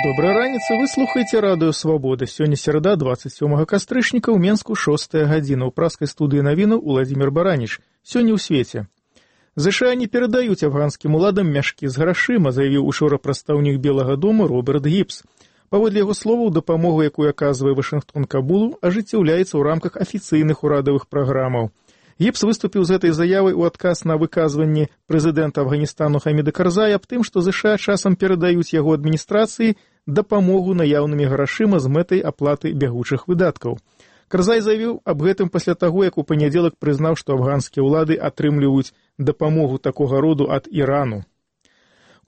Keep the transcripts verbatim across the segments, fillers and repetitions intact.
Добрай раніцы, вы слухаеце радыё Свабода. Сёння серада, дваццаць сёмага кастрычніка, ў Менску шостая гадзіна. У праскай студыі навінаў Уладзімір Бараніч. Сёння ў свеце. ЗША не перадаюць афганскім уладам мяшкі з грашыма, заявіў учора прадстаўнік Белага дома Роберт Гібс. Паводле яго словаў, дапамогу, якую аказвае Вашынгтон Кабулу, ажыццяўляецца ў рамках афіцыйных урадавых праграмаў. Гібс выступіў з гэтай заявай у адказ на выказванне прэзідэнта Афганістану Хаміда Карзая аб тым, што ЗША часам перадаюць яго адміністрацыі дапамогу наяўнымі грашыма з мэтай аплаты бягучых выдаткаў. Карзай заявіў аб гэтым пасля таго, як у панядзелак прызнаў, што афганскія ўлады атрымліваюць дапамогу такога роду ад Ірану.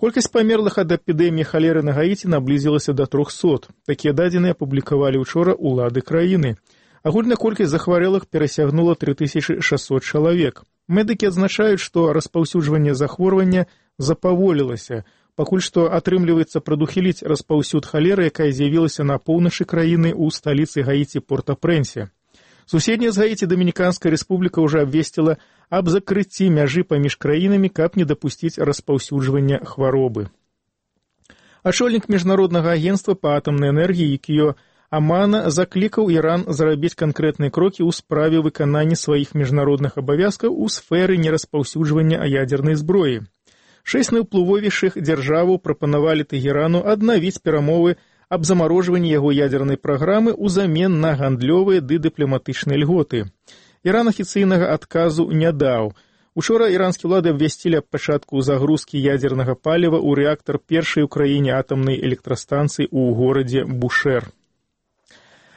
Колькасць памерлых ад эпідэміі халеры на Гаіці наблізілася да трохсот. Такія дадзеныя апублікавалі учора ўлады краіны. Агульная колькасць захварэлых перасягнула тры тысячы шэсцьсот чалавек. Медыкі адзначаюць, што распаўсюджванне захворвання запаволілася. Пакуль што атрымліваецца прадухіліць распаўсюд халеры, якая з'явілася на поўначы краіны ў сталіцы Гаіці Порт-а-Прэнсе. Суседняя з Гаіці Дамініканская рэспубліка ўжо абвесціла аб закрыцці мяжы паміж краінамі, каб не дапусціць распаўсюджвання хваробы. Ачольнік міжнароднага агенцтва па атамнай энергіі Юкіё Амана заклікаў Іран зрабіць канкрэтныя крокі ў справе выканання сваіх міжнародных абавязкаў у сферы нераспаўсюджвання ядзернай зброі. Шэсць найуплывовейшых дзяржаваў прапанавалі Тэгерану аднавіць перамовы аб замарожванні яго ядзернай праграмы ўзамен на гандлёвыя ды дыпламатычныя льготы. Іран афіцыйнага адказу не даў. Учора іранскія ўлады абвясцілі аб пачатку загрузкі ядзернага паліва ў рэактар першай у краіне атамнай электрастанцыі ў горадзе Бушэр.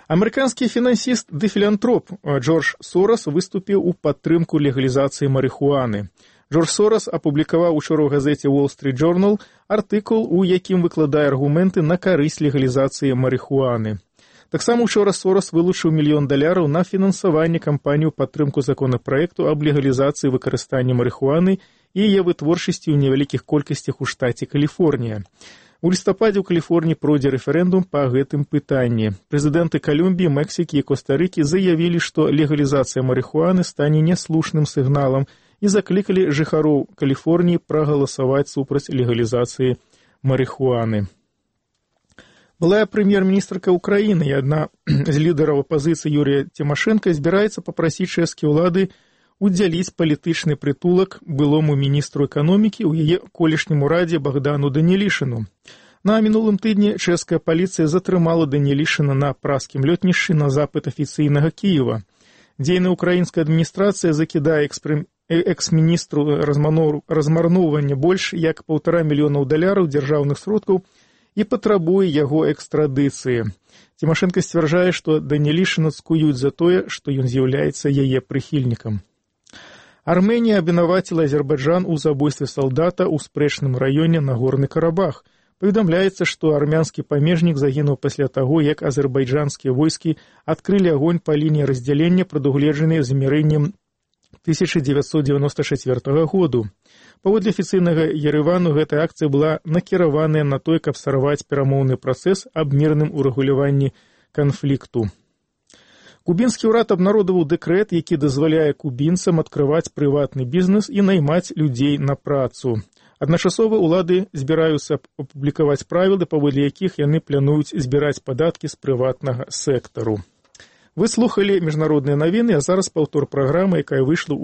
Амерыканскі фінансіст ды філантроп Джордж Сорас выступіў у падтрымку легалізацыі марыхуаны. Джордж Сорас апублікаваў учора ў газеце Wall Street Journal артыкул, у якім выкладае аргументы на карысць легалізацыі марыхуаны. Таксама учора Сорас вылучыў мільён даляраў на фінансаванне кампанію падтрымку законапраекту аб легалізацыі выкарыстання марыхуаны і яе вытворчасці ў невялікіх колькасцях у штаце Каліфорнія. У лістападзе ў Каліфорніі пройдзе рэферэндум па гэтым пытанні. Прэзідэнты Калумбіі, Мексікі і Коста-Рыкі заявілі, што легалізацыя марыхуаны стане няслушным сігналам і заклікалі жыхароў Каліфорніі прагаласаваць супраць легалізацыі марыхуаны. Былая прэм'ер-міністрка ўкраіны і адна з лідараў апазіцыі Юрія Цімашэнка збіраецца папрасіць чэшскія ўлады удзяліць палітычны прытулак былому міністру эканомікі ў яе колішнім урадзе Богдану Данілішыну. На мінулым тыдні чэшская паліцыя затрымала Данілішына на праскім лётнішчы на запыт афіцыйнага Кіева. Дзейная ўкраінская адміністрацыя закідае экспрэм... экс-міністру размарноўвання больш як паўтара мільёнаў даляраў дзяржаўных сродкаў і патрабуе яго экстрадыцыі. Цімашэнка сцвярджае, што Данілішына цкуюць за тое, што ён з'яўляецца яе прыхільнікам. Армэнія абвінаваціла Азербайджан у забойстве салдата ў спрэчным раёне Нагорны Карабах. Паведамляецца, што армянскі памежнік загінуў пасля таго, як азербайджанскія войскі адкрылі агонь па лініі раздзялення, прадугледжанай змірэннем тысяча дзевяцьсот дзевяноста чацвёртага году. Паводле афіцыйнага Ерэвану гэтая акцыя была накіраваная на тое, каб сарваць перамоўны працэс аб мірным урэгуляванні канфлікту. Кубінскі ўрад абнародаваў дэкрэт, які дазваляе кубінцам адкрываць прыватны бізнес і наймаць людзей на працу. Адначасова ўлады збіраюцца апублікаваць правілы, паводле якіх яны плануюць збіраць падаткі з прыватнага сектару. Вы слухалі міжнародныя навіны, а зараз паўтор праграмы, якая выйшла ў